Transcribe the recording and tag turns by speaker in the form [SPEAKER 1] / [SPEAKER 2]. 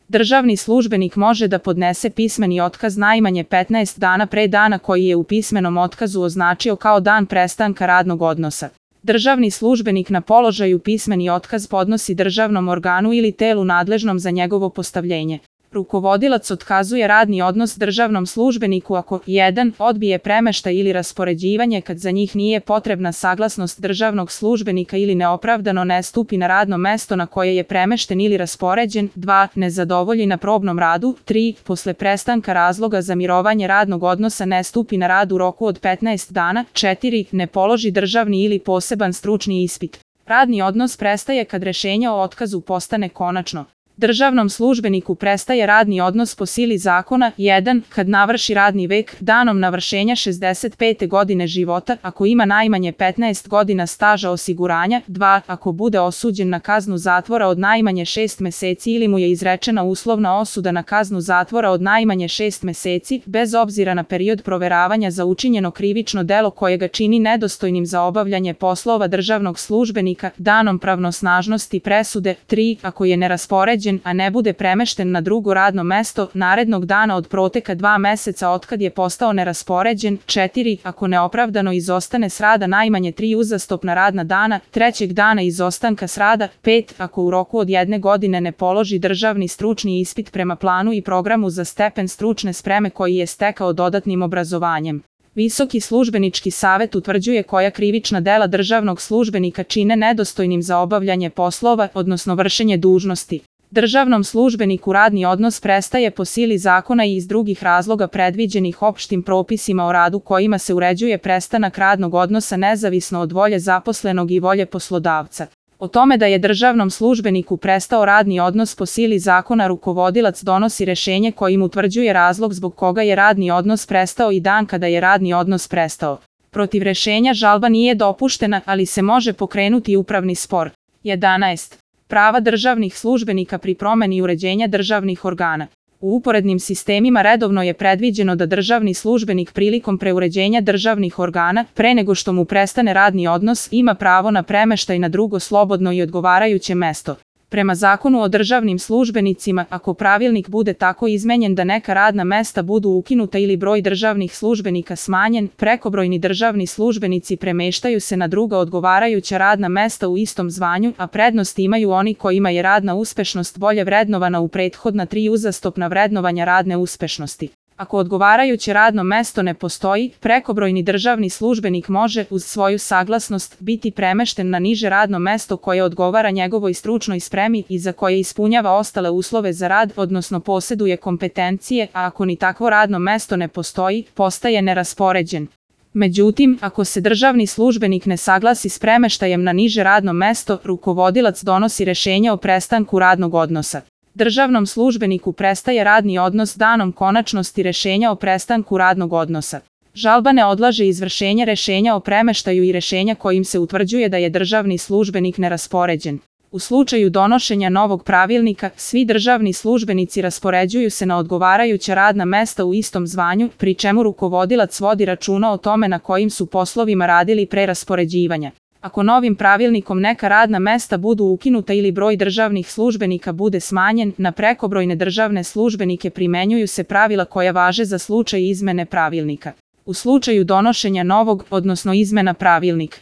[SPEAKER 1] Državni službenik može da podnese pismeni otkaz najmanje 15 dana pre dana koji je u pismenom otkazu označio kao dan prestanka radnog odnosa. Državni službenik na položaju pismeni otkaz podnosi državnom organu ili telu nadležnom za njegovo postavljenje. Rukovodilac otkazuje radni odnos državnom službeniku ako 1. odbije premeštaj ili raspoređivanje kad za njih nije potrebna saglasnost državnog službenika ili neopravdano ne stupi na radno mesto na koje je premešten ili raspoređen, 2. ne zadovolji na probnom radu, 3. posle prestanka razloga za mirovanje radnog odnosa ne stupi na rad u roku od 15 dana, 4. ne položi državni ili poseban stručni ispit. Radni odnos prestaje kad rešenje o otkazu postane konačno. Državnom službeniku prestaje radni odnos po sili zakona 1. kad navrši radni vek danom navršenja 65. godine života ako ima najmanje 15 godina staža osiguranja, 2. ako bude osuđen na kaznu zatvora od najmanje 6 meseci ili mu je izrečena uslovna osuda na kaznu zatvora od najmanje 6 meseci, bez obzira na period proveravanja za učinjeno krivično delo koje ga čini nedostojnim za obavljanje poslova državnog službenika danom pravnosnažnosti presude, 3. ako je neraspoređen a ne bude premešten na drugo radno mesto narednog dana od proteka 2 meseca otkad je postao neraspoređen, 4. ako neopravdano izostane s rada najmanje 3 uzastopna radna dana, trećeg dana izostanka s rada, 5. ako u roku od 1 godine ne položi državni stručni ispit prema planu i programu za stepen stručne spreme koji je stekao dodatnim obrazovanjem. Visoki službenički savet utvrđuje koja krivična dela državnog službenika čine nedostojnim za obavljanje poslova, odnosno vršenje dužnosti. Državnom službeniku radni odnos prestaje po sili zakona i iz drugih razloga predviđenih opštim propisima o radu kojima se uređuje prestanak radnog odnosa nezavisno od volje zaposlenog i volje poslodavca. O tome da je državnom službeniku prestao radni odnos po sili zakona rukovodilac donosi rešenje kojim utvrđuje razlog zbog koga je radni odnos prestao i dan kada je radni odnos prestao. Protiv rešenja žalba nije dopuštena, ali se može pokrenuti upravni spor. 11. Prava državnih službenika pri promeni uređenja državnih organa. U uporednim sistemima redovno je predviđeno da državni službenik prilikom preuređenja državnih organa, pre nego što mu prestane radni odnos, ima pravo na premeštaj na drugo slobodno i odgovarajuće mesto. Prema Zakonu o državnim službenicima, ako pravilnik bude tako izmenjen da neka radna mesta budu ukinuta ili broj državnih službenika smanjen, prekobrojni državni službenici premeštaju se na druga odgovarajuća radna mesta u istom zvanju, a prednost imaju oni kojima je radna uspešnost bolje vrednovana u prethodna 3 uzastopna vrednovanja radne uspešnosti. Ako odgovarajuće radno mesto ne postoji, prekobrojni državni službenik može, uz svoju saglasnost, biti premešten na niže radno mesto koje odgovara njegovoj stručnoj spremi i za koje ispunjava ostale uslove za rad, odnosno poseduje kompetencije, a ako ni takvo radno mesto ne postoji, postaje neraspoređen. Međutim, ako se državni službenik ne saglasi s premeštajem na niže radno mesto, rukovodilac donosi rešenje o prestanku radnog odnosa. Državnom službeniku prestaje radni odnos danom konačnosti rešenja o prestanku radnog odnosa. Žalba ne odlaže izvršenje rešenja o premeštaju i rešenja kojim se utvrđuje da je državni službenik neraspoređen. U slučaju donošenja novog pravilnika, svi državni službenici raspoređuju se na odgovarajuća radna mesta u istom zvanju, pri čemu rukovodilac vodi računa o tome na kojim su poslovima radili pre raspoređivanja. Ako novim pravilnikom neka radna mesta budu ukinuta ili broj državnih službenika bude smanjen, na prekobrojne državne službenike primenjuju se pravila koja važe za slučaj izmene pravilnika. U slučaju donošenja novog, odnosno izmena pravilnika,